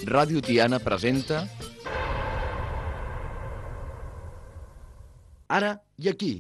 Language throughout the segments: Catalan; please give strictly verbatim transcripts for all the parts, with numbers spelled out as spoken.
Ràdio Tiana presenta Ara i aquí.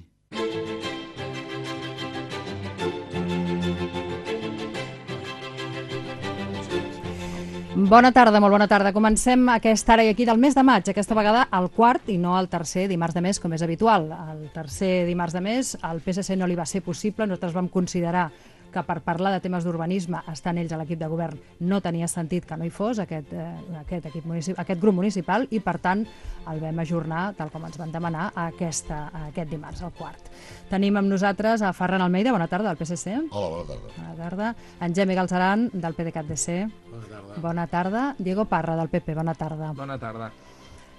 Bona tarda, molt bona tarda. Comencem aquest Ara i aquí del mes de maig, aquesta vegada el quart i no el tercer dimarts de mes, com és habitual. El tercer dimarts de mes al P S C no li va ser possible, nosaltres vam considerar que per parlar de temes d'urbanisme, estant ells a l'equip de govern, no tenia sentit que no hi fos aquest, eh, aquest, equip aquest grup municipal i, per tant, el vam ajornar, tal com ens van demanar, a aquesta, a aquest dimarts, el quart. Tenim amb nosaltres a Ferran Almeida, bona tarda, del P S C. Hola, bona tarda. Bona tarda. En Gemi Galceran, del P D C A T D C. Bona tarda. Bona tarda. Diego Parra, del P P, bona tarda. Bona tarda.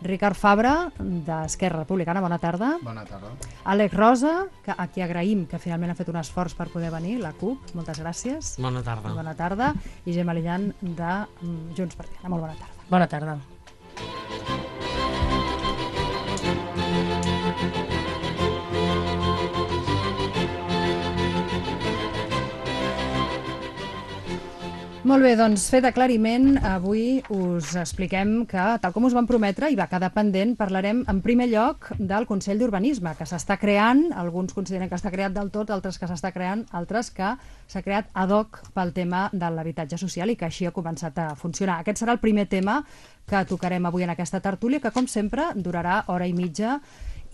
Ricard Fabra, d'Esquerra Republicana, bona tarda. Bona tarda. Àlex Rosa, que a qui agraïm que finalment ha fet un esforç per poder venir, la CUP, moltes gràcies. Bona tarda. Bona tarda. I Gemma Lillan, de Junts per Tiana, molt bona tarda. Bona tarda. Molt bé, doncs fet aclariment, avui us expliquem que, tal com us vam prometre, i va quedar pendent, parlarem en primer lloc del Consell d'Urbanisme, que s'està creant, alguns consideren que està creat del tot, altres que s'està creant, altres que s'ha creat ad hoc pel tema de l'habitatge social i que així ha començat a funcionar. Aquest serà el primer tema que tocarem avui en aquesta tertúlia, que com sempre durarà hora i mitja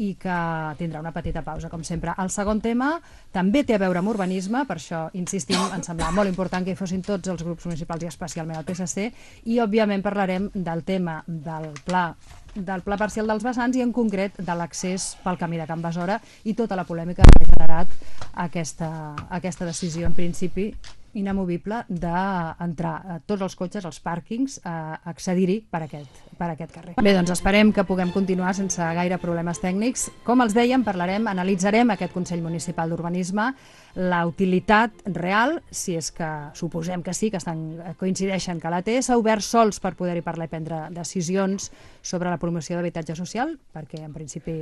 i que tindrà una petita pausa, com sempre. El segon tema també té a veure amb urbanisme, per això insistim, ens semblava molt important que hi fossin tots els grups municipals i especialment el P S C, i òbviament parlarem del tema del pla del pla parcial dels vessants i en concret de l'accés pel camí de Can Besora i tota la polèmica que ha generat aquesta, aquesta decisió en principi inamovible d'entrar a tots els cotxes, als pàrquings, a accedir-hi per aquest, per aquest carrer. Bé, doncs esperem que puguem continuar sense gaire problemes tècnics. Com els dèiem, parlarem, analitzarem aquest Consell Municipal d'Urbanisme, la utilitat real, si és que suposem que sí, que estan, coincideixen que la té, s'ha obert sols per poder-hi parlar i prendre decisions sobre la promoció d'habitatge social, perquè en principi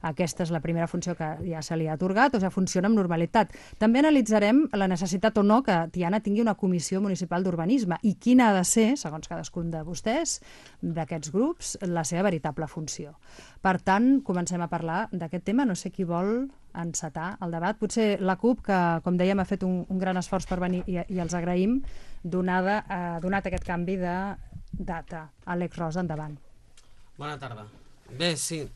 aquesta és la primera funció que ja se li ha atorgat, o sigui, funciona amb normalitat. També analitzarem la necessitat o no que Tiana tingui una comissió municipal d'urbanisme i quina ha de ser, segons cadascun de vostès, d'aquests grups, la seva veritable funció. Per tant, comencem a parlar d'aquest tema. No sé qui vol encetar el debat. Potser la CUP, que, com dèiem, ha fet un, un gran esforç per venir i, i els agraïm, donada, eh, donat aquest canvi de data. Àlex Rosa, endavant. Bona tarda. Bé, sí.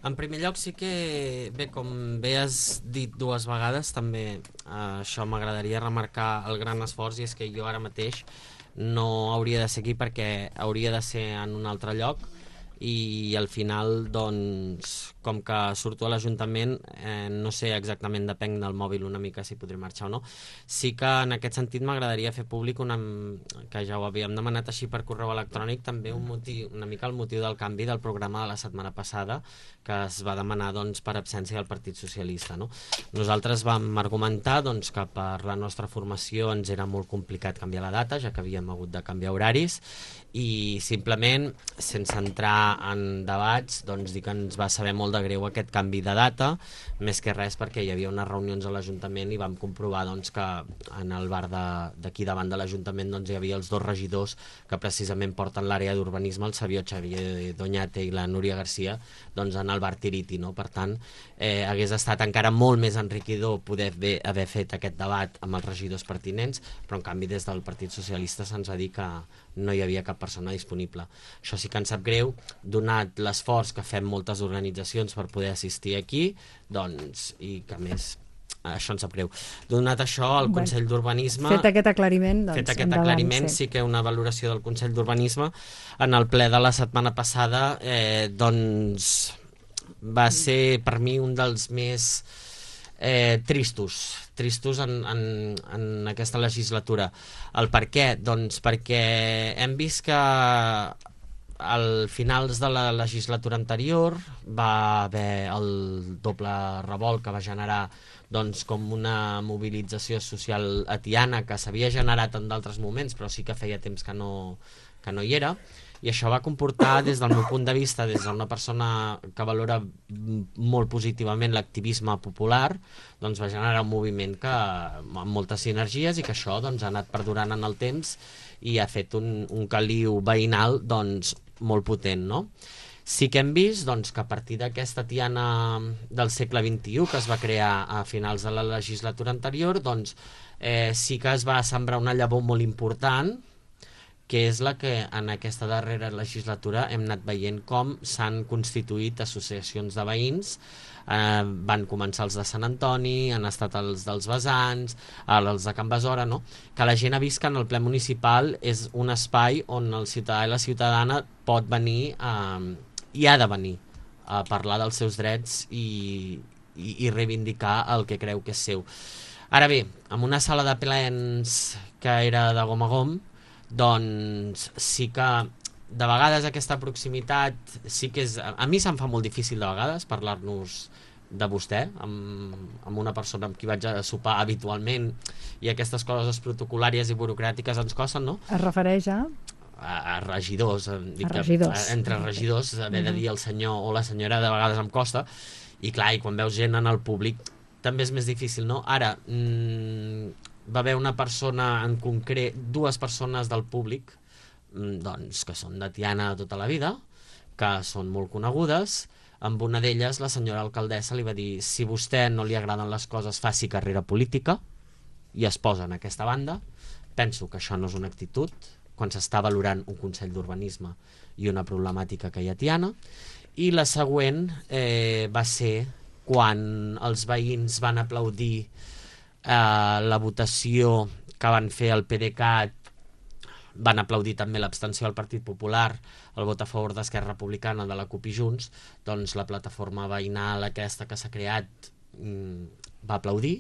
En primer lloc, sí que, bé, com bé has dit dues vegades, també eh, això m'agradaria remarcar el gran esforç, i és que jo ara mateix no hauria de ser aquí perquè hauria de ser en un altre lloc, i al final, doncs, com que surto a l'Ajuntament, eh, no sé exactament, depèn del mòbil una mica si podré marxar o no. Sí que en aquest sentit m'agradaria fer públic una, que ja ho havíem demanat així per correu electrònic, també un motiu, una mica el motiu del canvi del programa de la setmana passada, que es va demanar, doncs, per absència del Partit Socialista, no? Nosaltres vam argumentar, doncs, que per la nostra formació ens era molt complicat canviar la data, ja que havíem hagut de canviar horaris, i simplement, sense entrar en debats, doncs dir que ens va saber molt de greu aquest canvi de data, més que res perquè hi havia unes reunions a l'Ajuntament i vam comprovar, doncs, que en el bar d'aquí davant de l'Ajuntament, doncs, hi havia els dos regidors que precisament porten l'àrea d'urbanisme, el Xavier Xavier Doñate i la Núria Garcia, doncs, en el bar Tiriti, no? Per tant, eh, hagués estat encara molt més enriquidor poder bé, haver fet aquest debat amb els regidors pertinents, però en canvi des del Partit Socialista se'ns va dir que no hi havia cap persona disponible. Això sí que ens sap greu, donat l'esforç que fem moltes organitzacions per poder assistir aquí, doncs, i que més això ens sap greu. Donat això, el Consell bueno, d'Urbanisme... Fet aquest aclariment, doncs, fet aquest endavant, aclariment sí. sí que una valoració del Consell d'Urbanisme en el ple de la setmana passada, eh, doncs, va ser per mi un dels més eh, tristos, tristos en, en, en aquesta legislatura. El per què? Doncs perquè hem vist que al finals de la legislatura anterior va haver el doble revolt que va generar, doncs, com una mobilització social a Tiana que s'havia generat en d'altres moments, però sí que feia temps que no, que no hi era, I això va comportar, des del meu punt de vista, des d'una persona que valora molt positivament l'activisme popular, doncs va generar un moviment que, amb moltes sinergies, i que això doncs, ha anat perdurant en el temps i ha fet un, un caliu veïnal doncs, molt potent, no? Sí que hem vist doncs, que a partir d'aquesta Tiana del segle vint-i-u, que es va crear a finals de la legislatura anterior, doncs, eh, sí que es va sembrar una llavor molt important, que és la que en aquesta darrera legislatura hem anat veient com s'han constituït associacions de veïns. Eh, van començar els de Sant Antoni, han estat els dels Vessants, els de Can Besora, no? Que la gent ha vist que en el ple municipal és un espai on el ciutadà i la ciutadana pot venir eh, i ha de venir a parlar dels seus drets i, i, i reivindicar el que creu que és seu. Ara bé, en una sala de plens que era de gom a gom, doncs sí que de vegades aquesta proximitat sí que és... A mi se'm fa molt difícil de vegades parlar-nos de vostè, amb, amb una persona amb qui vaig a sopar habitualment, i aquestes coses protocolàries i burocràtiques ens costen, no? Es refereix a... A, a regidors, dic a regidors. Que, entre regidors, haver de dir el senyor o la senyora de vegades em costa, i clar, i quan veus gent en el públic també és més difícil, no? Ara, mmm, va haver una persona en concret, dues persones del públic, doncs, que són de Tiana de tota la vida, que són molt conegudes. Amb una d'elles, la senyora alcaldessa li va dir: si a vostè no li agraden les coses, faci carrera política, i es posa en aquesta banda. Penso que això no és una actitud quan s'està valorant un Consell d'Urbanisme i una problemàtica que hi ha a Tiana. I la següent eh, va ser quan els veïns van aplaudir eh, la votació que van fer el PDeCAT, van aplaudir també l'abstenció del Partit Popular, el vot a favor d'Esquerra Republicana, de la CUP i Junts, doncs la plataforma veïnal aquesta que s'ha creat mm, va aplaudir,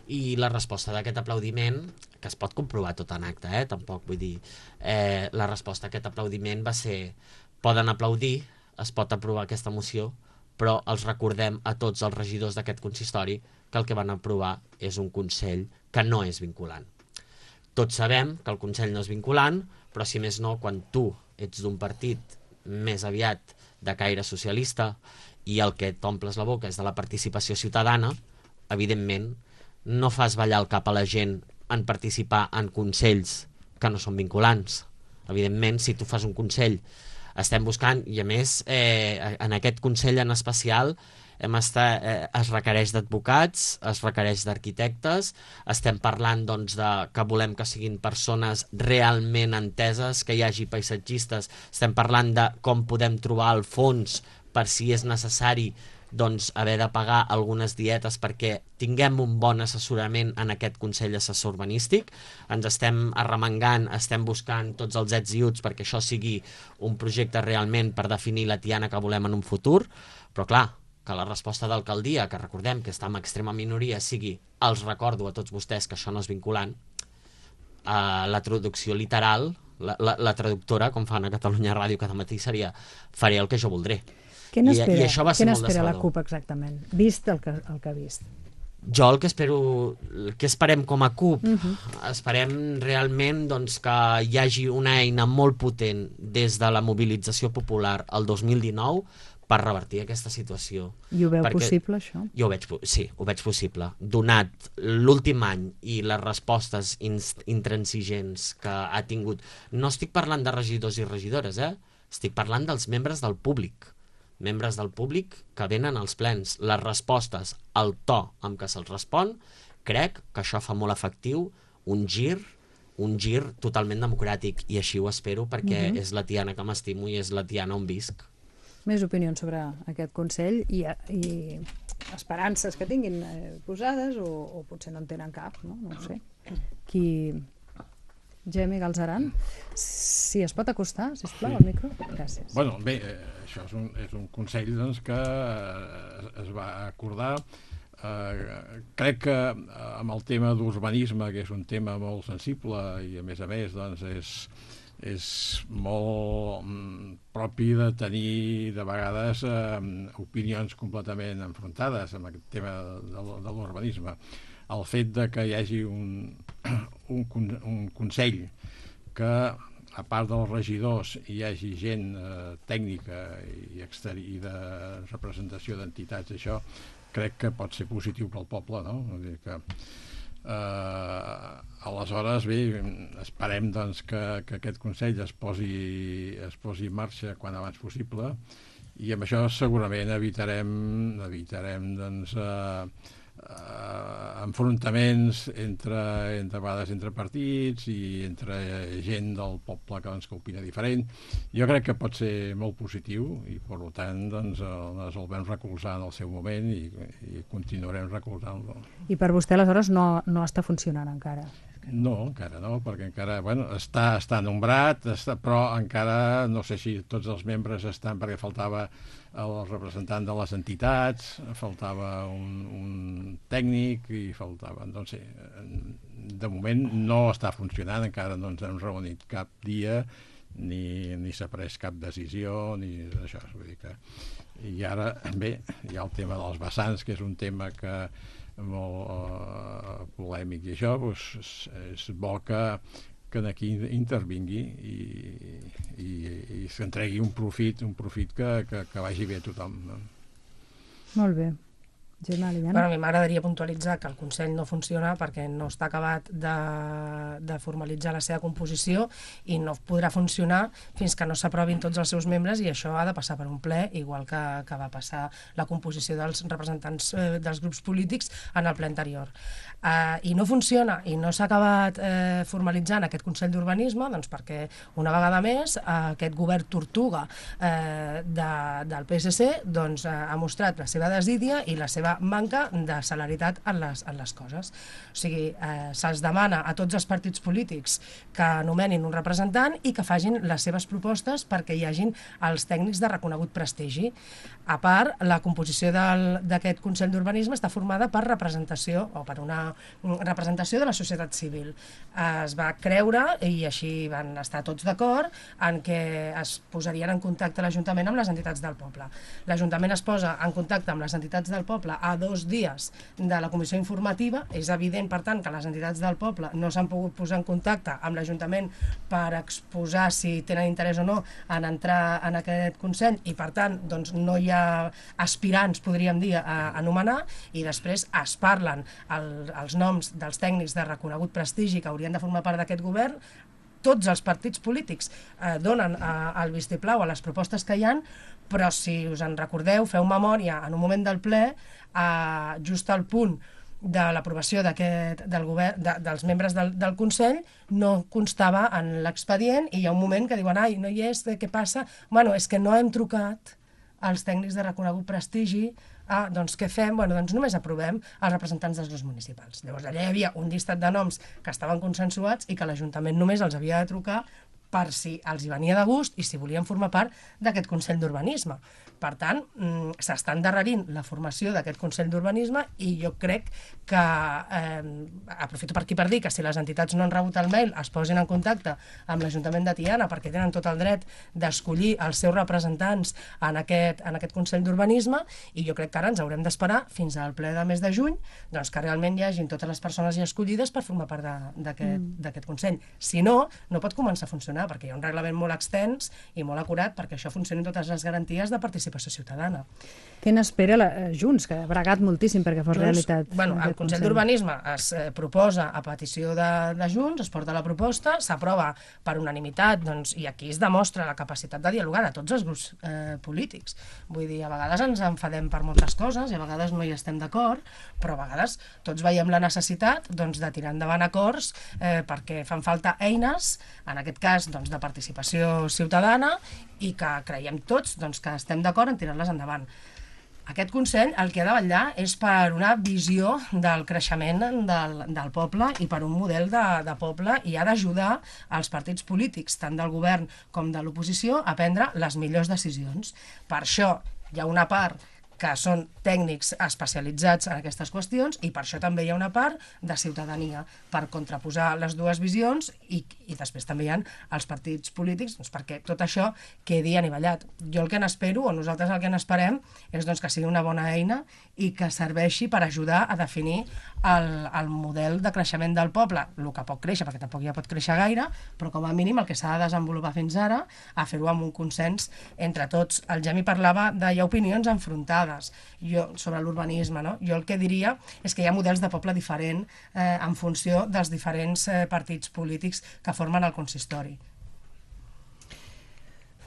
i la resposta d'aquest aplaudiment, que es pot comprovar tot en acte, eh? Tampoc vull dir, eh, la resposta a aquest aplaudiment va ser: poden aplaudir, es pot aprovar aquesta moció, però els recordem a tots els regidors d'aquest consistori que el que van aprovar és un Consell que no és vinculant. Tots sabem que el Consell no és vinculant, però si més no, quan tu ets d'un partit més aviat de caire socialista i el que t'omples la boca és de la participació ciutadana, evidentment no fas ballar el cap a la gent en participar en consells que no són vinculants. Evidentment, si tu fas un consell, estem buscant, i a més eh, en aquest consell en especial hem estat, eh, es requereix d'advocats, es requereix d'arquitectes, estem parlant doncs, de que volem que siguin persones realment enteses, que hi hagi paisatgistes, estem parlant de com podem trobar el fons per si és necessari doncs, haver de pagar algunes dietes perquè tinguem un bon assessorament en aquest Consell Assessor Urbanístic. Ens estem arremangant, estem buscant tots els ets i uts perquè això sigui un projecte realment per definir la Tiana que volem en un futur, però clar, que la resposta d'alcaldia, que recordem que està en extrema minoria, sigui: els recordo a tots vostès que això no és vinculant, eh, la traducció literal, la, la, la traductora, com fan a Catalunya Ràdio cada matí, seria: faré el que jo voldré. Què n'espera, I, i això va ser què molt n'espera la decebedor. CUP exactament, vist el que, el que ha vist? Jo el que espero, el que esperem com a CUP, Uh-huh. esperem realment doncs, que hi hagi una eina molt potent des de la mobilització popular el dos mil dinou per revertir aquesta situació. I ho veu Perquè possible, això? Jo ho veig, sí, ho veig possible. Donat l'últim any i les respostes intransigents que ha tingut, no estic parlant de regidors i regidores, eh? Estic parlant dels membres del públic. membres del públic que venen als plens. Les respostes, el to amb què se'ls respon, crec que això fa molt efectiu un gir, un gir totalment democràtic, i així ho espero perquè uh-huh. és la Tiana que m'estimo i és la Tiana on visc. Més opinions sobre aquest Consell i, i esperances que tinguin eh, posades o, o potser no en tenen cap, no? No ho sé. Qui... Gemma Galzeran, si es pot acostar, sisplau, sí. al micro. Gràcies. Bueno, bé, eh, això és un, és un consell doncs, que eh, es va acordar. Eh, crec que eh, amb el tema d'urbanisme, que és un tema molt sensible i a més a més doncs, és, és molt mm, propi de tenir de vegades eh, opinions completament enfrontades amb aquest tema de, de l'urbanisme. El fet de que hi hagi un, un, un consell que a part dels regidors hi hagi gent eh, tècnica i, exteri i de representació d'entitats, això crec que pot ser positiu pel poble, no? Vull dir que eh, aleshores, bé, esperem doncs, que, que aquest Consell es posi, es posi en marxa quan abans possible, i amb això segurament evitarem, evitarem doncs, eh, Uh, enfrontaments entre, entre vegades entre partits i entre gent del poble que, doncs, que opina diferent. Jo crec que pot ser molt positiu i per tant doncs, el, el vam recolzar en el seu moment i, i continuarem recolzant-lo. I per vostè aleshores no, no està funcionant encara? No, encara no, perquè encara bueno, està, està nombrat, està, però encara no sé si tots els membres estan, perquè faltava el representant de les entitats, faltava un, un tècnic i faltava, no sé, de moment no està funcionant, encara no ens hem reunit cap dia ni, ni s'ha pres cap decisió ni això, vull dir que i ara, bé, hi ha el tema dels vessants, que és un tema que molt uh, polèmic i això doncs, és, és bo que, que aquí intervingui i, i, i s'entregui un profit, un profit que, que, que vagi bé a tothom, no? Molt bé. Gemma, Liliana? Bueno, a mi m'agradaria puntualitzar que el Consell no funciona perquè no està acabat de, de formalitzar la seva composició i no podrà funcionar fins que no s'aprovin tots els seus membres, i això ha de passar per un ple, igual que, que va passar la composició dels representants eh, dels grups polítics en el ple anterior. Eh, I no funciona i no s'ha acabat eh, formalitzant aquest Consell d'Urbanisme doncs perquè una vegada més eh, aquest govern tortuga eh, de, del P S C doncs, eh, ha mostrat la seva desídia i la seva manca de celeritat en les, en les coses. O sigui, eh, se'ls demana a tots els partits polítics que anomenin un representant i que facin les seves propostes perquè hi hagin els tècnics de reconegut prestigi. A part, la composició d'aquest Consell d'Urbanisme està formada per representació o per una representació de la societat civil. Es va creure, i així van estar tots d'acord, en què es posarien en contacte l'Ajuntament amb les entitats del poble. L'Ajuntament es posa en contacte amb les entitats del poble a dos dies de la comissió informativa. És evident, per tant, que les entitats del poble no s'han pogut posar en contacte amb l'Ajuntament per exposar si tenen interès o no en entrar en aquest Consell, i per tant doncs, no hi ha aspirants, podríem dir, a anomenar, i després es parlen el, els noms dels tècnics de reconegut prestigi que haurien de formar part d'aquest govern. Tots els partits polítics eh, donen eh, el vistiplau a les propostes que hi ha, però si us en recordeu, feu memòria, en un moment del ple, eh, just al punt de l'aprovació d'aquest del govern, de, dels membres del, del Consell, no constava en l'expedient, i hi ha un moment que diuen, ai, no hi és, què passa? Bueno, és que no hem trucat als tècnics de reconegut prestigi. Ah, doncs què fem? Bueno, doncs només aprovem els representants dels grups municipals. Llavors allà hi havia un llistat de noms que estaven consensuats i que l'Ajuntament només els havia de trucar per si els hi venia de gust i si volien formar part d'aquest Consell d'Urbanisme. Per tant, s'està endarrerint la formació d'aquest Consell d'Urbanisme, i jo crec que, eh, aprofito per aquí per dir que si les entitats no han rebut el mail es posin en contacte amb l'Ajuntament de Tiana, perquè tenen tot el dret d'escollir els seus representants en aquest, en aquest Consell d'Urbanisme, i jo crec que ara ens haurem d'esperar fins al ple de mes de juny, doncs que realment hi hagin totes les persones ja escollides per formar part d'aquest mm. Consell. Si no, no pot començar a funcionar, perquè hi ha un reglament molt extens i molt acurat perquè això funcioni totes les garanties de participació ciutadana. Què n'espera la, Junts, que ha bregat moltíssim perquè fos Junts, realitat? Bueno, el Consell d'Urbanisme es eh, proposa a petició de, de Junts, es porta la proposta, s'aprova per unanimitat, doncs, i aquí es demostra la capacitat de dialogar de tots els grups eh, polítics. Vull dir, a vegades ens enfadem per moltes coses i a vegades no hi estem d'acord, però a vegades tots veiem la necessitat doncs, de tirar endavant acords eh, perquè fan falta eines, en aquest cas doncs, de participació ciutadana, i que creiem tots doncs, que estem d'acord en tirar-les endavant. Aquest Consell el que ha de vetllar és per una visió del creixement del, del poble i per un model de, de poble, i ha d'ajudar els partits polítics, tant del govern com de l'oposició, a prendre les millors decisions. Per això hi ha una part que són tècnics especialitzats en aquestes qüestions, i per això també hi ha una part de ciutadania, per contraposar les dues visions, i, i després també hi ha els partits polítics, doncs perquè tot això quedi anivellat. Jo el que n'espero, o nosaltres el que n'esperem, és doncs, que sigui una bona eina i que serveixi per ajudar a definir el, el model de creixement del poble, el que pot créixer, perquè tampoc ja pot créixer gaire, però com a mínim el que s'ha de desenvolupar fins ara, a fer-ho amb un consens entre tots. El Gemi parlava de hi ha opinions enfrontades jo, sobre l'urbanisme, no? Jo el que diria és que hi ha models de poble diferent eh, en funció dels diferents eh, partits polítics que formen el consistori.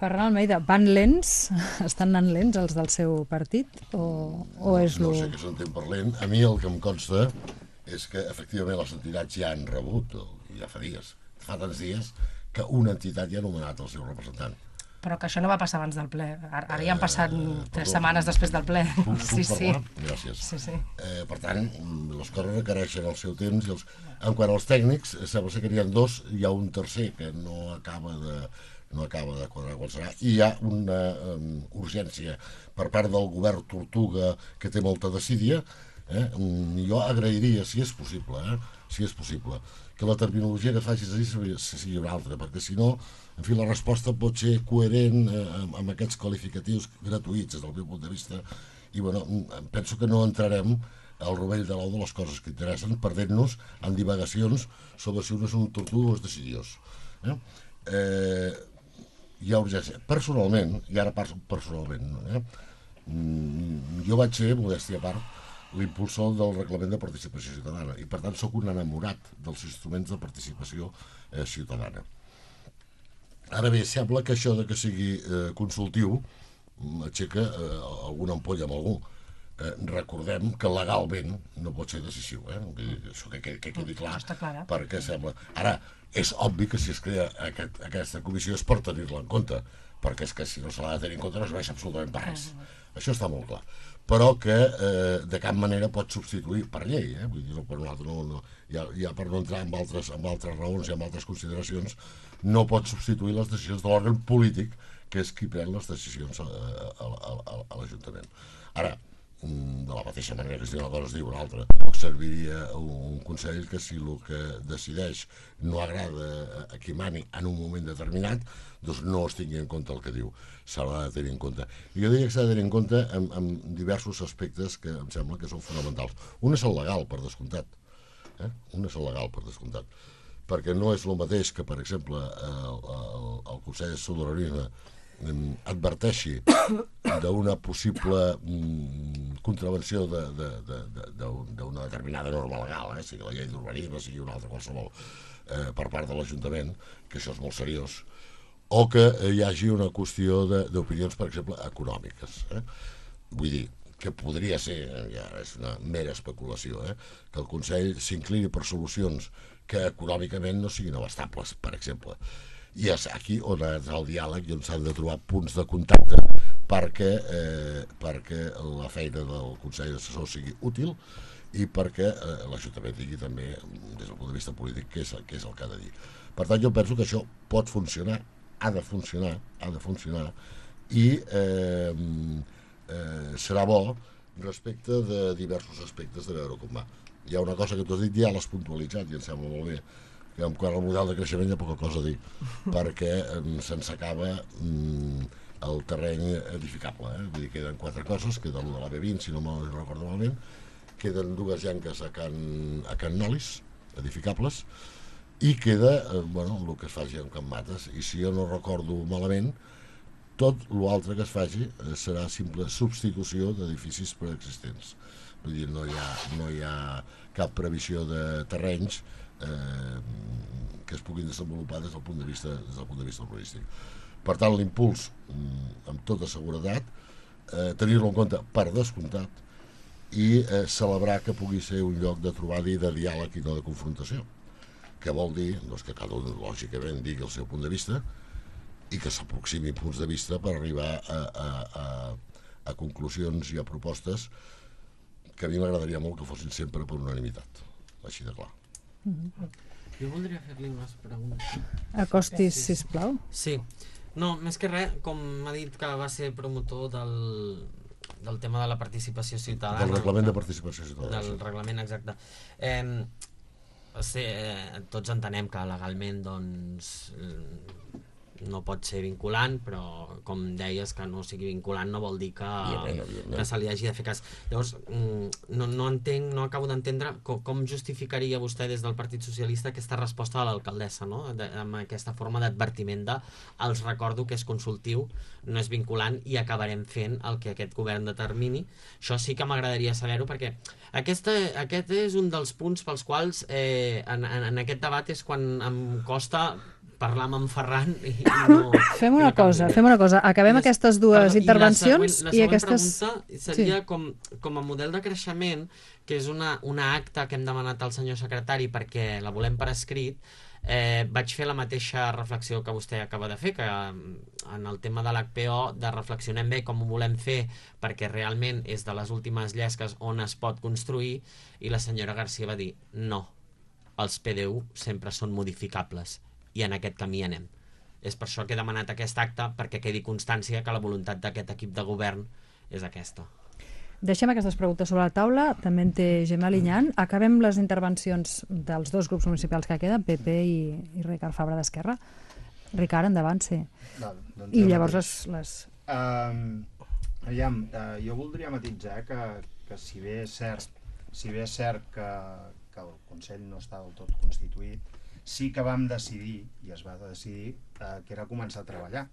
Ferran Almeida, van lents? Estan anant lents els del seu partit? O, o és no lo... sé què s'entén per lent. A mi el que em consta és que efectivament les entitats ja han rebut, ja fa dies, fa tants dies, que una entitat ja ha nomenat el seu representant. Però que això no va passar abans del ple. Ara, ara ja han passat Eh, tres perdó, setmanes després del ple. Puc, puc Sí, sí. parlar? Gràcies. Sí, sí. Eh, per tant, les coses requereixen el seu temps. I els... En quant als tècnics, sembla ser que n'hi ha dos, hi ha un tercer que no acaba de, no acaba de quadrar qual serà, i hi ha una um, urgència per part del govern Tortuga que té molta desídia. Eh? Jo agrairia, si és possible, eh? si és possible, que la terminologia que facis sigui, sigui una altra, perquè si no, en fi, la resposta pot ser coherent eh, amb, amb aquests qualificatius gratuïts des del meu punt de vista, i bueno, penso que no entrarem al rovell de l'ou de les coses que interessen, perdent-nos en divagacions sobre si un és un tortuga o és decidiós. Eh? Eh, hi ha urgència. Personalment, i ara parlo personalment, eh? jo vaig ser, modèstia a part, l'impulsor del reglament de participació ciutadana, i per tant sóc un enamorat dels instruments de participació eh, ciutadana. Ara bé, sembla que això de que sigui eh, consultiu aixeca eh, alguna ampolla amb algú. Eh, recordem que legalment no pot ser decisiu, eh? Això que, que, que quedi clar, clar, eh? perquè sembla... Ara, és obvi que si es crea aquest, aquesta comissió és per tenir-la en compte, perquè és que si no se l'ha de tenir en compte no serveix absolutament per res. Això està molt clar. Però que eh, de cap manera pot substituir per llei, eh? Vull dir, no per un altre, no, no, ja, ja per no entrar en altres, en altres raons i en altres consideracions, no pot substituir les decisions de l'òrgan polític, que és qui pren les decisions a, a, a, a, a l'Ajuntament. Ara, de la mateixa manera que si una cosa es diu una altra, poc serviria un consell que si el que decideix no agrada a qui mani en un moment determinat, doncs no es tingui en compte el que diu. S'haurà de tenir en compte. I jo diria que s'ha de tenir en compte en, en diversos aspectes que em sembla que són fonamentals. Un és el legal, per descomptat. Eh? Un és el legal, per descomptat. Perquè no és el mateix que, per exemple, el, el, el Consell de Sobiranía adverteixi d'una possible mm, contravenció d'una de, de, de, de, determinada norma legal, eh? sigui la llei d'urbanisme, sigui una altra qualsevol, eh, per part de l'Ajuntament, que això és molt seriós, o que eh, hi hagi una qüestió d'opinions, per exemple, econòmiques. Eh? Vull dir, que podria ser, ja és una mera especulació, eh? que el Consell s'inclini per solucions que econòmicament no siguin abastables, per exemple. I és aquí on és el diàleg i on s'han de trobar punts de contacte perquè, eh, perquè la feina del Consell Assessor sigui útil i perquè eh, l'Ajuntament tingui també, des del punt de vista polític, què és, què és el que ha de dir. Per tant, jo penso que això pot funcionar, ha de funcionar, ha de funcionar, i eh, eh, serà bo respecte de diversos aspectes de veure com va. Hi ha una cosa que tu has dit, ja l'has puntualitzat i em sembla molt bé, que en quant al model de creixement hi ha poca cosa a dir, perquè eh, se'ns acaba mm, el terreny edificable. Eh? Vull dir, queden quatre coses, queda el de la B vint, si no me'n recordo malament, queden dues llanques a Can, a Can Nolis, edificables, i queda eh, bueno, el que es faci amb Can Mates, i si jo no recordo malament, tot l'altre que es faci eh, serà simple substitució d'edificis preexistents. Vull dir, no hi ha, no hi ha cap previsió de terrenys Eh, que es puguin desenvolupar des del punt de vista, des del punt de vista urbanístic. Per tant, l'impuls, amb tota seguretat, eh, tenir-lo en compte per descomptat i eh, celebrar que pugui ser un lloc de trobada i de diàleg i no de confrontació. Que vol dir doncs, que cada un, lògicament, digui el seu punt de vista i que s'aproximi punts de vista per arribar a, a, a, a conclusions i a propostes que a mi m'agradaria molt que fossin sempre per unanimitat, així de clar. Mm-hmm. Jo voldria fer-li unes preguntes. Acostis, sisplau. Sí. No, més que res, com m'ha dit que va ser promotor del, del tema de la participació ciutadana. Del reglament de participació ciutadana. Del reglament, exacte. Eh, sí, eh, tots entenem que legalment doncs no pot ser vinculant, però com deies, que no sigui vinculant no vol dir que, que se li hagi de fer cas. Llavors, no, no entenc, no acabo d'entendre com, com justificaria vostè des del Partit Socialista aquesta resposta de l'alcaldessa, no? De, amb aquesta forma d'advertiment de els recordo que és consultiu, no és vinculant i acabarem fent el que aquest govern determini. Això sí que m'agradaria saber-ho, perquè aquesta, aquest és un dels punts pels quals eh, en, en, en aquest debat és quan em costa parlar amb en Ferran i no... Fem una cosa, fem una cosa. Acabem les, aquestes dues perdó, intervencions i, la següent, la i aquestes... La següent pregunta seria sí. com, com a model de creixement, que és una, una acta que hem demanat al senyor secretari perquè la volem per escrit, eh, vaig fer la mateixa reflexió que vostè acaba de fer, que en el tema de l'H P O de reflexionem bé com ho volem fer perquè realment és de les últimes llesques on es pot construir, i la senyora Garcia va dir no, els P D U sempre són modificables i en aquest camí anem. És per això que he demanat aquest acte, perquè quedi constància que la voluntat d'aquest equip de govern és aquesta. Deixem aquestes preguntes sobre la taula, també en té Gemma Linyant. Acabem les intervencions dels dos grups municipals que queden, P P i, i Ricard Fabra d'Esquerra. Ricard, endavant, sí. Val, doncs I llavors les... les... Um, aviam, uh, jo voldria matitzar que, que si bé és cert, si bé és cert que, que el Consell no està del tot constituït, sí que vam decidir, i es va decidir, eh, que era començar a treballar,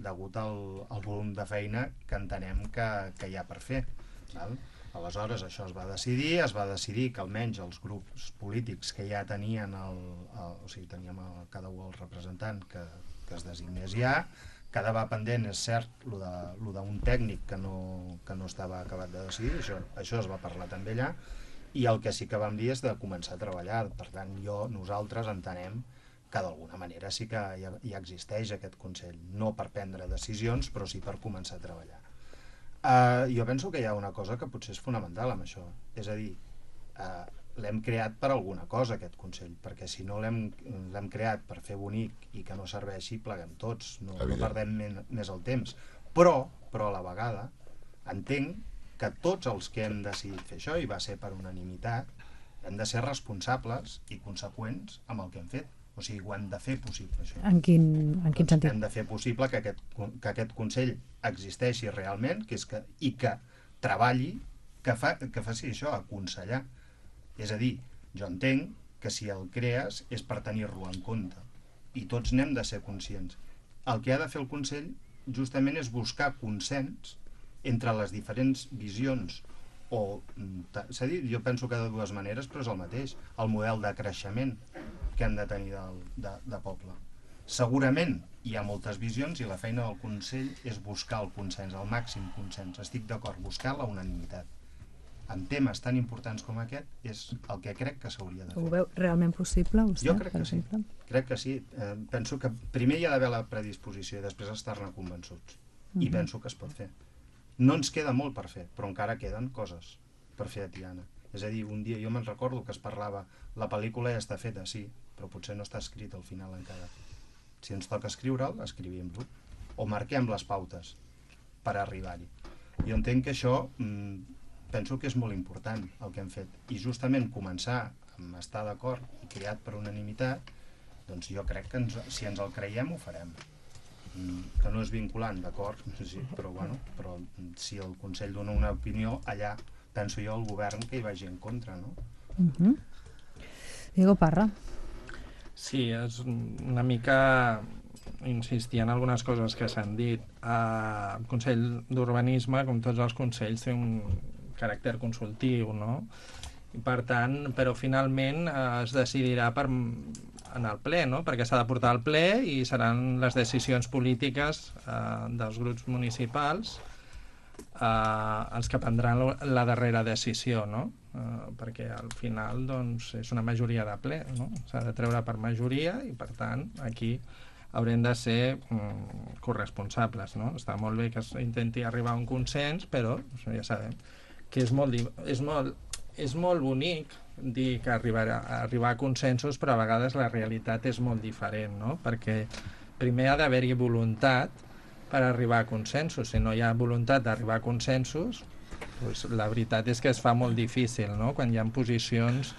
degut al, al volum de feina que entenem que, que hi ha per fer. Val? Aleshores, això es va decidir, es va decidir que almenys els grups polítics que ja tenien, el, el, o sigui, teníem el, cada un el representant que, que es designés ja, quedava pendent, és cert, lo de, lo d'un tècnic que no, que no estava acabat de decidir, això, això es va parlar també allà, i el que sí que vam dir és de començar a treballar. Per tant, jo, nosaltres entenem que d'alguna manera sí que ja, ja existeix aquest Consell, no per prendre decisions, però sí per començar a treballar. Uh, jo penso que hi ha una cosa que potser és fonamental amb això, és a dir, uh, l'hem creat per alguna cosa aquest Consell, perquè si no l'hem l'hem creat per fer bonic i que no serveixi, pleguem tots, no, no perdem men, més el temps. Però, però a la vegada, entenc que tots els que hem decidit fer això, i va ser per unanimitat, hem de ser responsables i conseqüents amb el que hem fet. O sigui, ho hem de fer possible, això. En quin, en quin sentit? Hem de fer possible que aquest, que aquest Consell existeixi realment, que és que, i que treballi, que, fa, que faci això, aconsellar. És a dir, jo entenc que si el crees és per tenir-lo en compte. I tots n'hem de ser conscients. El que ha de fer el Consell justament és buscar consens entre les diferents visions, o s'ha dit, jo penso que de dues maneres, però és el mateix, el model de creixement que hem de tenir del, de, de poble. Segurament hi ha moltes visions i la feina del Consell és buscar el consens, el màxim consens, estic d'acord, buscar la unanimitat. En temes tan importants com aquest és el que crec que s'hauria de fer. Ho veu realment possible, vostè? Jo crec que sí, crec que sí. Eh, penso que primer hi ha d'haver la predisposició i després estar-ne convençuts. I mm-hmm. penso que es pot fer. No ens queda molt per fer, però encara queden coses per fer a Tiana. És a dir, un dia jo me'n recordo que es parlava, la pel·lícula ja està feta, sí, però potser no està escrit al final encara. Si ens toca escriure'l, escrivim-lo. O marquem les pautes per arribar-hi. Jo entenc que això, mmm, penso que és molt important el que hem fet. I justament començar amb estar d'acord i creat per unanimitat, doncs jo crec que ens, si ens el creiem ho farem. Que no és vinculant, d'acord, sí, però, bueno, però si el Consell dona una opinió, allà penso jo el govern que hi vagi en contra, no? Uh-huh. Diego Parra. Sí, és una mica insistir en algunes coses que s'han dit. El Consell d'Urbanisme, com tots els consells, té un caràcter consultiu, no? I per tant, però finalment es decidirà per en el ple, no? Perquè s'ha de portar al ple i seran les decisions polítiques eh, dels grups municipals eh, els que prendran la darrera decisió, no? Eh, perquè al final doncs, és una majoria de ple, no? S'ha de treure per majoria i per tant aquí haurem de ser mm, corresponsables, no? Està molt bé que s'intenti arribar a un consens, però ja sabem que és molt, és molt, és molt bonic dir que arribar a, arribar a consensos, però a vegades la realitat és molt diferent, no? Perquè primer ha d'haver-hi voluntat per arribar a consensos. Si no hi ha voluntat d'arribar a consensos, Pues la veritat és que es fa molt difícil, no?, quan hi ha posicions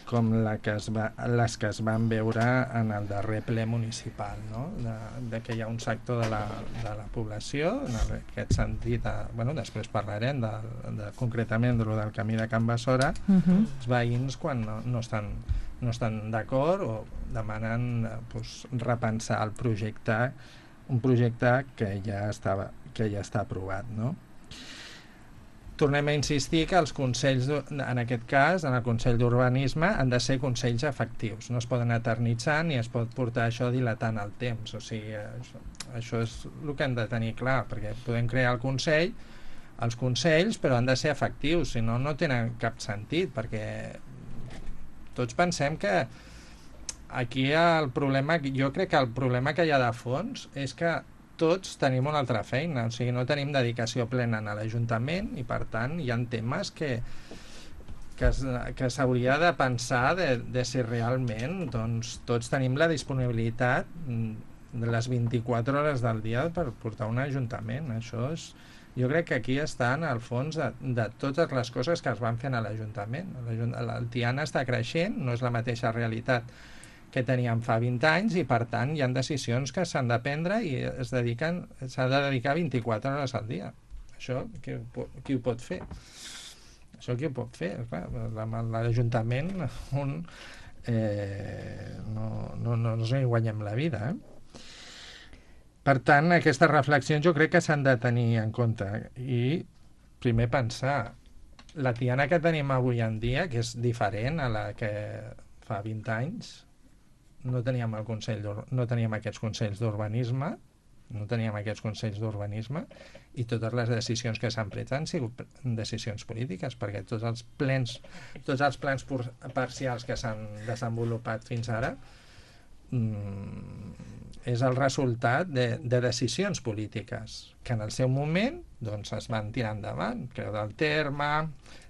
com la que es va, les que es van veure en el darrer ple municipal, no?, de, de que hi ha un sector de la, de la població, en aquest sentit, de, bueno, després parlarem de, de, concretament de lo del camí de Can Bassora, uh -huh. els veïns quan no, no estan, no estan d'acord o demanen pues, repensar el projecte, un projecte que ja estava, que ja està aprovat, no? Tornem a insistir que els consells, en aquest cas, en el Consell d'Urbanisme, han de ser consells efectius. No es poden eternitzar ni es pot portar això dilatant el temps. O sigui, això, això és el que hem de tenir clar, perquè podem crear el Consell, els consells, però han de ser efectius, si no, no tenen cap sentit, perquè tots pensem que aquí el problema, jo crec que el problema que hi ha de fons és que tots tenim una altra feina, o sigui, no tenim dedicació plena a l'Ajuntament i, per tant, hi ha temes que, que, que s'hauria de pensar de, de si realment doncs, tots tenim la disponibilitat de les vint-i-quatre hores del dia per portar un Ajuntament. Això és... Jo crec que aquí està en el fons de, de totes les coses que es van fent a l'Ajuntament. El Tiana està creixent, no és la mateixa realitat que teníem fa vint anys i, per tant, hi ha decisions que s'han de prendre i es dediquen, s'ha de dedicar vint-i-quatre hores al dia. Això, qui, qui ho pot fer? Això qui ho pot fer? L'Ajuntament un, eh, no, no, no, no hi guanyem la vida, eh? Per tant, aquestes reflexions jo crec que s'han de tenir en compte i primer pensar la Tiana que tenim avui en dia, que és diferent a la que fa vint anys, no teníem el Consell no teníem aquests consells d'urbanisme, no teníem aquests consells d'urbanisme i totes les decisions que s'han pres han sigut decisions polítiques, perquè tots els plens, tots els plans parcials que s'han desenvolupat fins ara mmm, és el resultat de, de decisions polítiques que en el seu moment doncs, es van tirar endavant, Creu del Terme,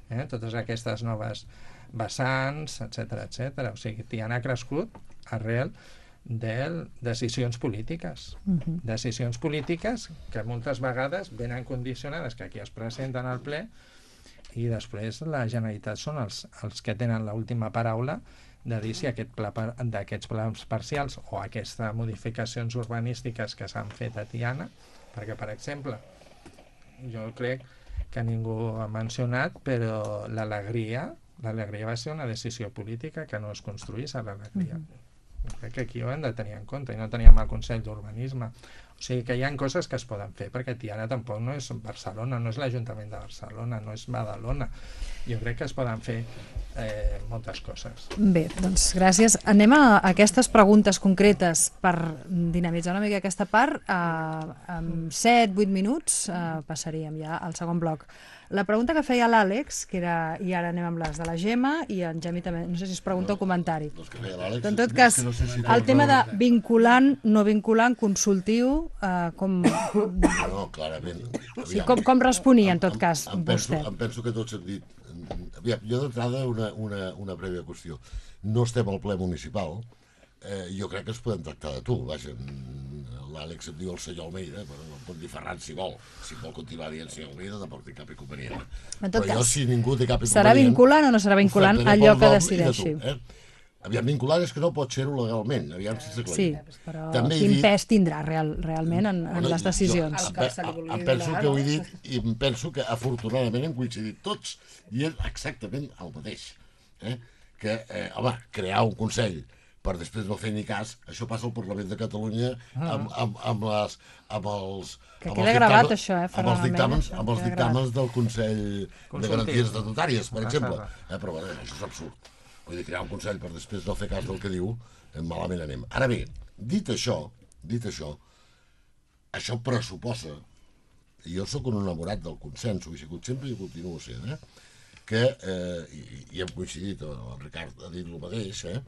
eh, totes aquestes noves vessants, etcètera, etcètera. O sigui, Tiana ha crescut arrel de decisions polítiques. Uh-huh. Decisions polítiques que moltes vegades venen condicionades, que aquí es presenten al ple, i després la Generalitat són els, els que tenen l'última paraula de dir si aquest pla d'aquests plans parcials o aquestes modificacions urbanístiques que s'han fet a Tiana, perquè, per exemple, jo crec que ningú ha mencionat, però l'alegria, l'alegria va ser una decisió política que no es construís a l'alegria. Mm-hmm. Crec que aquí ho hem de tenir en compte i no teníem el Consell d'Urbanisme. O sigui que hi ha coses que es poden fer, perquè Tiana tampoc no és Barcelona, no és l'Ajuntament de Barcelona, no és Badalona. Jo crec que es poden fer eh, moltes coses. Bé, doncs gràcies. Anem a aquestes preguntes concretes per dinamitzar una mica aquesta part. Uh, en set vuit minuts uh, passaríem ja al segon bloc. La pregunta que feia l'Àlex, que era, i ara anem amb les de la Gemma, i en Gemi també, no sé si es pregunta o comentari. En tot cas, el tema de vinculant, no vinculant, consultiu, eh, com... No, clarament. Sí, com, com responia, en tot cas, em, em penso, vostè? Em penso que tots hem dit... Aviam, jo d'entrada una, una, una prèvia qüestió. No estem al ple municipal, eh, jo crec que es podem tractar de tu, vaja, l'Àlex em diu el senyor Almeida, però no em pot dir Ferran si vol. Si vol continuar dient senyor Almeida, tampoc té cap inconvenient. En tot però cas, jo, si ningú té cap inconvenient... Serà vinculant o no serà vinculant allò que decideixi? Tu, eh? Aviam, vinculant és que no pot ser-ho legalment, aviam si s'aclarim. Sí, però també quin dit... pes tindrà real, realment en, en les decisions? Jo, em, em penso que ho he dit i em penso que afortunadament hem coincidit tots i és exactament el mateix. Eh? Que, eh, home, crear un consell per després no fer ni cas, això passa al Parlament de Catalunya amb, amb, amb, les, amb els... Que amb queda els gravat, dictàmens, això, eh, amb els dictàmens, Ferran, amb els dictàmens del Consell de Garanties Estatutàries, per exemple. Eh, però bé, això és absurd. Vull dir, crear un consell per després no fer cas del que diu, malament anem. Ara bé, dit això, dit això, això pressuposa, i jo sóc un enamorat del consens, ho he sigut sempre i ho continuo sent, eh? que, eh, i, i hem coincidit, el Ricard ha dit el mateix, eh?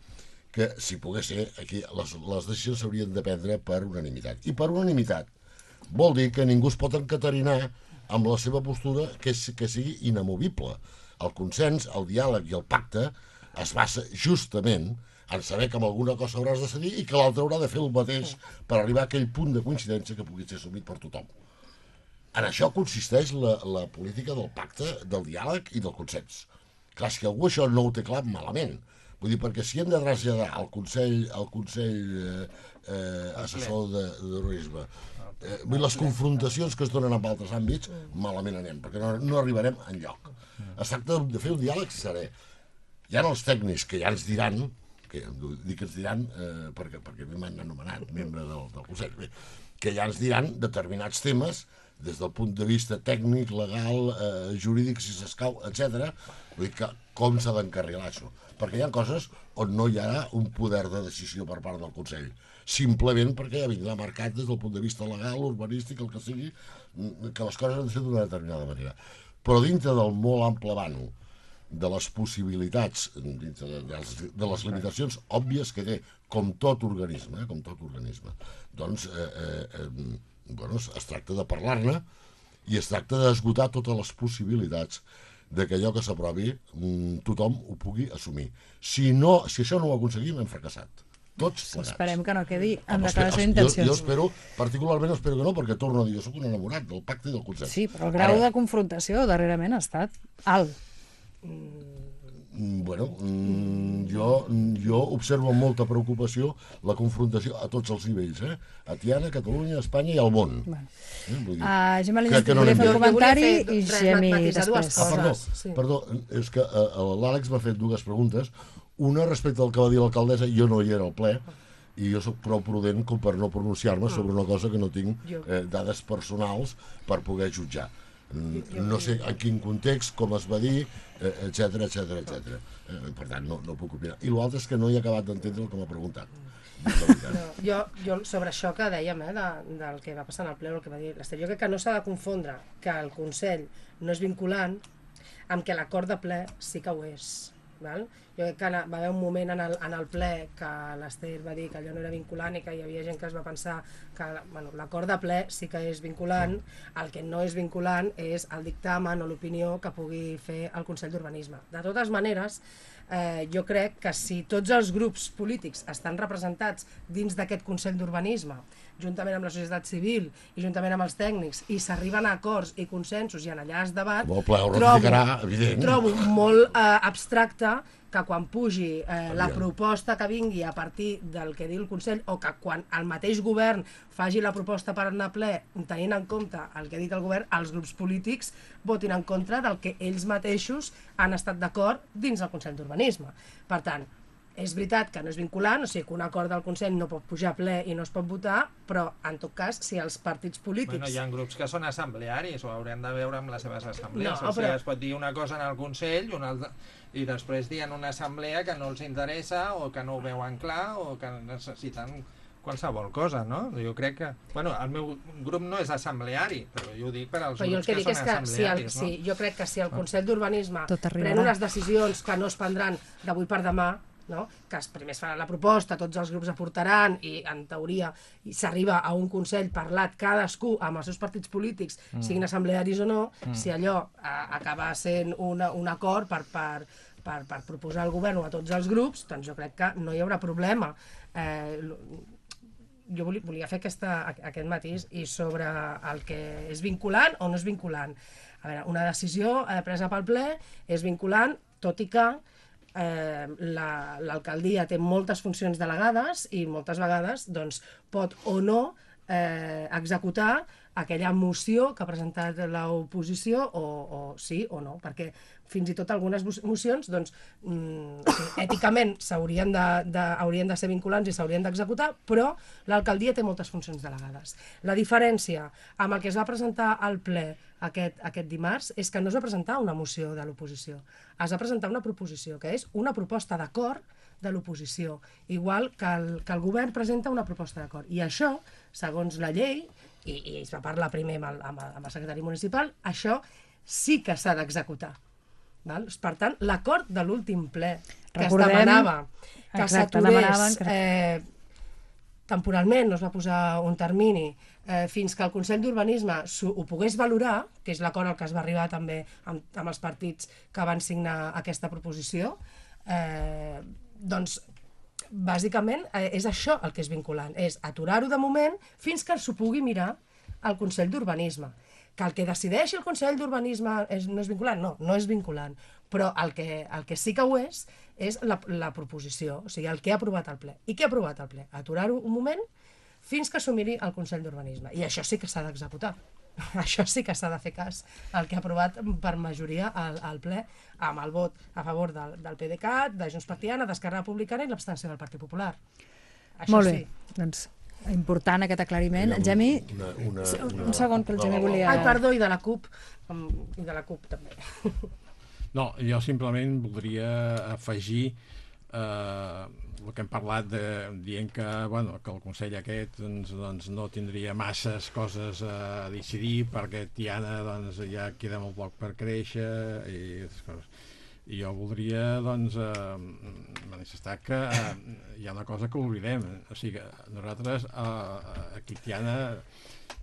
que si pogués ser, aquí les, les decisions s'haurien de prendre per unanimitat. I per unanimitat vol dir que ningú es pot encatarinar amb la seva postura que, que sigui inamovible. El consens, el diàleg i el pacte es basa justament en saber que amb alguna cosa hauràs de cedir i que l'altre haurà de fer el mateix per arribar a aquell punt de coincidència que pugui ser assumit per tothom. en això consisteix la, la política del pacte, del diàleg i del consens. Clar, si algú això no ho té clar, malament. Vull dir, perquè si hem de traslladar al Consell, al Consell eh, eh, Assessor de, de Terrorisme eh, les confrontacions que es donen en altres àmbits, malament anem, perquè no, no arribarem enlloc. Es tracta de fer un diàleg serè. Hi ha els tècnics que ja ens diran, que dic que ens diran eh, perquè, perquè m'han anomenat membre del, del Consell, bé, que ja ens diran determinats temes des del punt de vista tècnic, legal, eh, jurídic, si s'escau, etcètera. Vull dir que com s'ha d'encarrilar això? Perquè hi ha coses on no hi ha un poder de decisió per part del Consell, simplement perquè ja vindrà marcat des del punt de vista legal, urbanístic, el que sigui, que les coses han de ser d'una determinada manera. Però dintre del molt ample vano de les possibilitats, dintre de, de, les, de les limitacions òbvies que té, com tot organisme, eh, com tot organisme, doncs eh, eh, eh, bueno, es tracta de parlar-ne i es tracta d'esgotar totes les possibilitats de que allò que s'aprovi tothom ho pugui assumir. Si, no, si això no ho aconseguim, hem fracassat. Tots plegats. Esperem que no quedi en Home, declaració jo, d'intencions. jo espero, particularment espero que no, perquè torno a dir, jo soc un enamorat del pacte i del consens. Sí, però el grau Ara, de confrontació darrerament ha estat alt. Bueno, jo, jo observo amb molta preocupació la confrontació a tots els nivells, eh? A Tiana, a Catalunya, a Espanya i al món. Bueno. Eh? Vull dir, Uh, Gemma que- Llinàs, que no volia anem fer bé. un comentari Jo volia i fer- Gemi matisar dues després. Ah, perdó, coses, sí. perdó, és que uh, l'Àlex m'ha fet dues preguntes. Una respecte al que va dir l'alcaldessa, jo no hi era al ple, i jo sóc prou prudent com per no pronunciar-me sobre una cosa que no tinc eh, dades personals per poder jutjar. No sé en quin context, com es va dir, etcètera, etcètera, etcètera. Per tant, no, no puc opinar. I l'altre és que no he acabat d'entendre el que m'ha preguntat. No, jo, jo sobre això que dèiem, eh, de, del que va passar en el ple, el que va dir l'Ester, jo crec que no s'ha de confondre que el Consell no és vinculant amb que l'acord de ple sí que ho és. Val? Jo crec que va haver un moment en el, en el ple que l'Ester va dir que allò no era vinculant i que hi havia gent que es va pensar que bueno, l'acord de ple sí que és vinculant, el que no és vinculant és el dictamen o l'opinió que pugui fer el Consell d'Urbanisme. De totes maneres, eh, jo crec que si tots els grups polítics estan representats dins d'aquest Consell d'Urbanisme, juntament amb la societat civil i juntament amb els tècnics, i s'arriben a acords i consensos i en allà es debat, Amb el ple ho trobo, ratificarà, evident. trobo molt eh, abstracte que quan pugi eh, la Aviam. proposta que vingui a partir del que diu el Consell, o que quan el mateix govern faci la proposta per anar a ple, tenint en compte el que ha dit el govern, els grups polítics votin en contra del que ells mateixos han estat d'acord dins del Consell d'Urbanisme. Per tant, és veritat que no és vinculant, o sigui que un acord del Consell no pot pujar a ple i no es pot votar, però en tot cas, si els partits polítics... Bueno, hi ha grups que són assemblearis, ho haurem de veure amb les seves assemblees. No, No, o sigui, però- es pot dir una cosa en el Consell i, una altra, i després dir en una assemblea que no els interessa o que no ho veuen clar o que necessiten qualsevol cosa, no? Jo crec que... Bueno, el meu grup no és assembleari, però jo ho dic per als Però jo el grups que que, dic són és que si el, assemblearis, sí, jo crec que si el Consell d'Urbanisme Tot arribarà. pren unes decisions que no es prendran d'avui per demà, no? Que es, primer es farà la proposta, tots els grups aportaran i en teoria s'arriba a un Consell parlat cadascú amb els seus partits polítics, mm. siguin assemblearis o no, mm. si allò a, acaba sent una, un acord per, per, per, per proposar al govern o a tots els grups, doncs jo crec que no hi haurà problema. Eh, jo volia, volia fer aquesta, aquest matís i sobre el que és vinculant o no és vinculant. A veure, una decisió eh, presa pel ple és vinculant, tot i que eh, l'alcaldia té moltes funcions delegades i moltes vegades doncs, pot o no eh, executar aquella moció que ha presentat l'oposició o, o sí o no, perquè fins i tot algunes mocions doncs, mm, èticament s'haurien de, de, haurien de ser vinculants i s'haurien d'executar, però l'alcaldia té moltes funcions delegades. La diferència amb el que es va presentar al ple aquest, aquest dimarts és que no es va presentar una moció de l'oposició, es va presentar una proposició, que és una proposta d'acord de l'oposició, igual que el, que el govern presenta una proposta d'acord. I això, segons la llei, i, i es va parlar primer amb el, amb el, amb el secretari municipal, això sí que s'ha d'executar. Val? Per tant, l'acord de l'últim ple que Recordem, es demanava que exacte, s'aturés demanaven que- eh, temporalment, no es va posar un termini, eh, fins que el Consell d'Urbanisme ho pogués valorar, que és l'acord al que es va arribar també amb, amb els partits que van signar aquesta proposició, eh, doncs bàsicament eh, és això el que és vinculant, és aturar-ho de moment fins que s'ho pugui mirar al Consell d'Urbanisme. Que el que decideixi el Consell d'Urbanisme és, no és vinculant? No, no és vinculant. Però el que, el que sí que ho és, és la, la proposició, o sigui, el que ha aprovat el ple. I què ha aprovat el ple? Aturar-ho un moment fins que s'ho el Consell d'Urbanisme. I això sí que s'ha d'executar. Això sí que s'ha de fer cas al que ha aprovat per majoria al, al ple, amb el vot a favor del, del P D C A T, de Junts per Tiana, d'Esquerra Republicana i l'abstenció del Partit Popular. Això Molt bé, sí. doncs important aquest aclariment. Gemi, una, una, sí, un, una... un segon que el Gemi volia... Ai, perdó, i de la CUP. Um, I de la CUP també. No, jo simplement voldria afegir eh, el que hem parlat de, dient que, bueno, que el Consell aquest doncs, doncs, no tindria masses coses a decidir perquè Tiana doncs, ja queda molt poc per créixer i aquestes coses. I jo voldria doncs, eh, manifestar que eh, hi ha una cosa que oblidem. O sigui, nosaltres eh, aquí a Tiana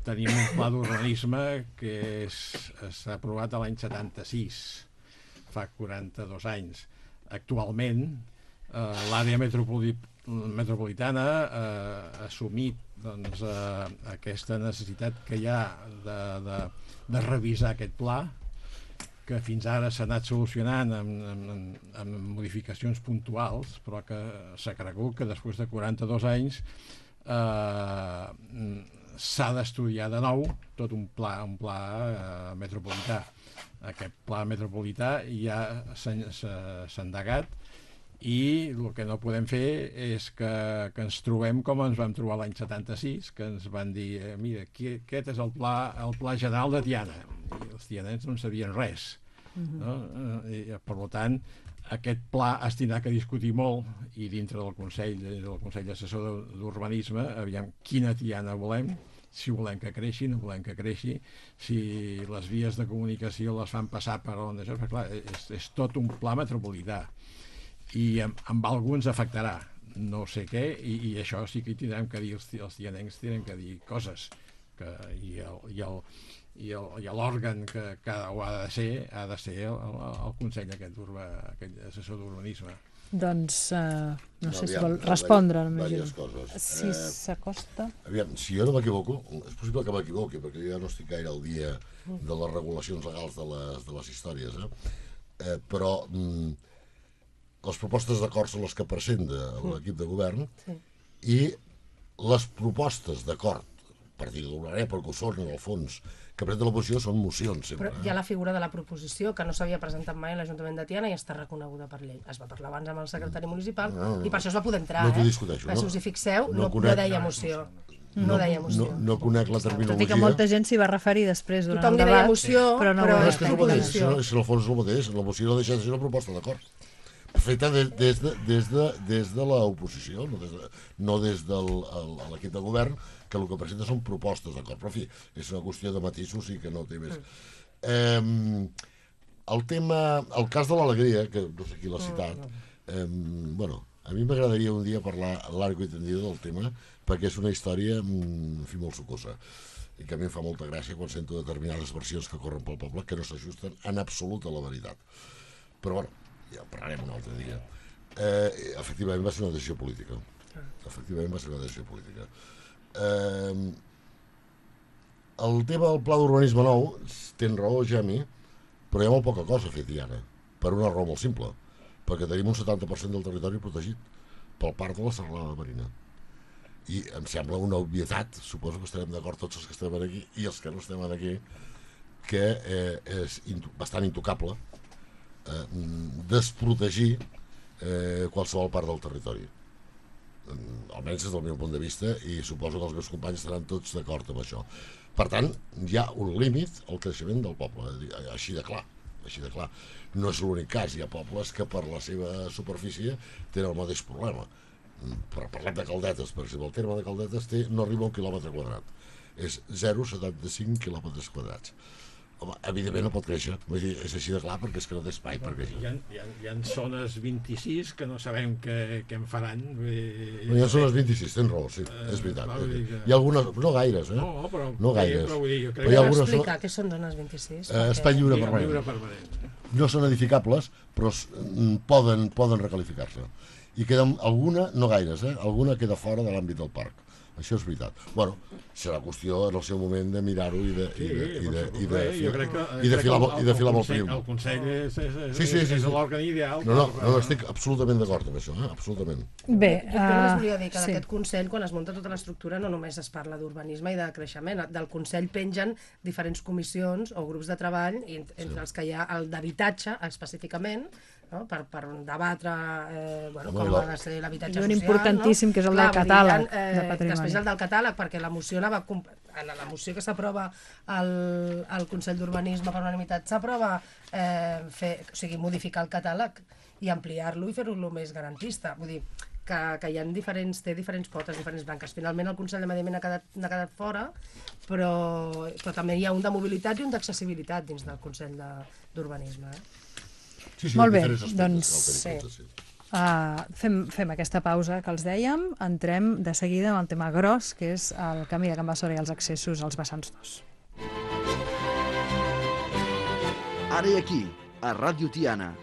tenim un pla d'urbanisme que s'ha aprovat l'any setanta-sis, fa quaranta-dos anys. Actualment, eh, l'àrea metropoli metropolitana eh, ha assumit doncs, eh, aquesta necessitat que hi ha de, de, de revisar aquest pla, que fins ara s'ha anat solucionant amb, amb, amb modificacions puntuals, però que s'ha cregut que després de quaranta-dos anys eh, s'ha d'estudiar de nou tot un pla, un pla eh, metropolità. Aquest pla metropolità ja s'ha endegat i el que no podem fer és que, que ens trobem com ens vam trobar l'any setanta-sis, que ens van dir, eh, mira, aquí, aquest és el pla, el pla general de Tiana, i els tianens no en sabien res. Uh-huh. No? I, per tant, aquest pla es tindrà que discutir molt i dintre del Consell, del Consell Assessor d'Urbanisme, aviam quina Tiana volem, si volem que creixi, no volem que creixi, si les vies de comunicació les fan passar per on això, perquè clar, és, és tot un pla metropolità i amb, amb alguns afectarà no sé què, i, i això sí que hi tindrem que dir, els, els tianencs tindrem que dir coses que, i el, i el i l'òrgan que, que ho ha de ser ha de ser el, el, el Consell aquest, urba, aquest assessor d'urbanisme. Doncs uh, no, no sé aviam, si vol respondre. Diverses coses. Si eh, s'acosta... Aviam, si jo no m'equivoco, és possible que m'equivoqui, perquè jo no estic gaire al dia de les regulacions legals de les, de les històries, eh? Eh, però mm, les propostes d'acord són les que presenta l'equip de govern sí. I les propostes d'acord, per dir d'alguna manera, perquè ho són en el fons, que presenta l'oposició són mocions sempre. Però hi ha la figura de la proposició que no s'havia presentat mai a l'Ajuntament de Tiana i està reconeguda per llei. Es va parlar abans amb el secretari municipal no, no, i per això es va poder entrar. No t'ho eh? discuteixo. No? Si us hi fixeu, no, no, no, conec, no deia moció. No, no deia moció. No, no conec la terminologia. Tot i que molta gent s'hi va referir després durant Tothom el debat. Tothom li deia moció, però no, però no és que és el mateix, si no, si en el fons és el mateix, la moció no deixa de ser una proposta d'acord. Feta des, des, de, des, de, des de l'oposició, no des, de, no des de l'equip de govern, que el que presenta són propostes d'acord. Però, en fi, és una qüestió de matisos i que no té més. Mm. Eh, el tema, el cas de l'alegria, que no sé qui l'ha citat, eh, bueno, a mi m'agradaria un dia parlar largo i tendido del tema, perquè és una història, en fi, molt sucosa. I que a mi em fa molta gràcia quan sento determinades versions que corren pel poble que no s'ajusten en absolut a la veritat. Però, bueno, ja en parlarem un altre dia. Eh, efectivament va ser una decisió política. Efectivament va ser una decisió política. Eh, el tema del pla d'urbanisme nou, tens raó, Gemi, però hi ha molt poca cosa feta ara, per una raó molt simple, perquè tenim un setanta per cent del territori protegit pel parc de la Serralada Marina. I em sembla una obvietat, suposo que estarem d'acord tots els que estem aquí i els que no estem aquí, que eh, és bastant intocable Eh, desprotegir eh, qualsevol part del territori, eh, almenys des del meu punt de vista, i suposo que els meus companys estaran tots d'acord amb això. Per tant, hi ha un límit al creixement del poble, així de clar, així de clar. No és l'únic cas, hi ha pobles que per la seva superfície tenen el mateix problema. Per parlar de Caldetes, per exemple, el terme de Caldetes té, no arriba a un quilòmetre quadrat, és zero coma setanta cinc quilòmetres quadrats. Home, evidentment no pot créixer, és així de clar, perquè és que no té espai per créixer. Hi ha, hi ha, hi ha zones vint-i-sis que no sabem què, què en faran. No, hi ha zones vint-i-sis, tens raó, sí, és veritat. Hi ha algunes, no gaires, eh? No, però, no gaires. Però vull dir, jo crec però hi ha algunes explicar què són zones vint-i-sis. Eh, espai lliure permanent. No són edificables, però poden, poden recalificar-se. I queda alguna, no gaires, eh? Alguna queda fora de l'àmbit del parc. Això és veritat. Bueno, serà qüestió en el seu moment de mirar-ho i de, i de, i de, i de, jo crec que, i de filar, el, i de filar molt prim. prim. El Consell és, és, és, sí, sí, sí, és sí. l'òrgan ideal. No, no, no, estic absolutament d'acord amb això, eh? Absolutament. Bé, Jo, jo només volia dir que sí. d'aquest Consell, quan es munta tota l'estructura, no només es parla d'urbanisme i de creixement. Del Consell pengen diferents comissions o grups de treball, entre Sí. els que hi ha el d'habitatge, específicament, no? per, per debatre eh, bueno, Home, com la- ha de ser l'habitatge I un social. importantíssim, no? que és el Clar, del vull dir, catàleg hi ha, de patrimoni. Després el del catàleg, perquè la moció anava... comp- En la moció que s'aprova al, al Consell d'Urbanisme per unanimitat s'aprova eh, fer, o sigui, modificar el catàleg i ampliar-lo i fer-lo més garantista. Vull dir, que, que hi ha diferents, té diferents potes, diferents branques. Finalment el Consell de Medi Ambient ha quedat, ha quedat fora, però, però també hi ha un de mobilitat i un d'accessibilitat dins del Consell de- d'Urbanisme. Eh? Sí, sí, Molt bé, diferents aspectes doncs, cal tenir en compte, sí. Uh, fem, fem aquesta pausa que els dèiem, entrem de seguida amb el tema gros, que és el camí de Can Bassora i els accessos als vessants dos. Ara i aquí, a Ràdio Tiana,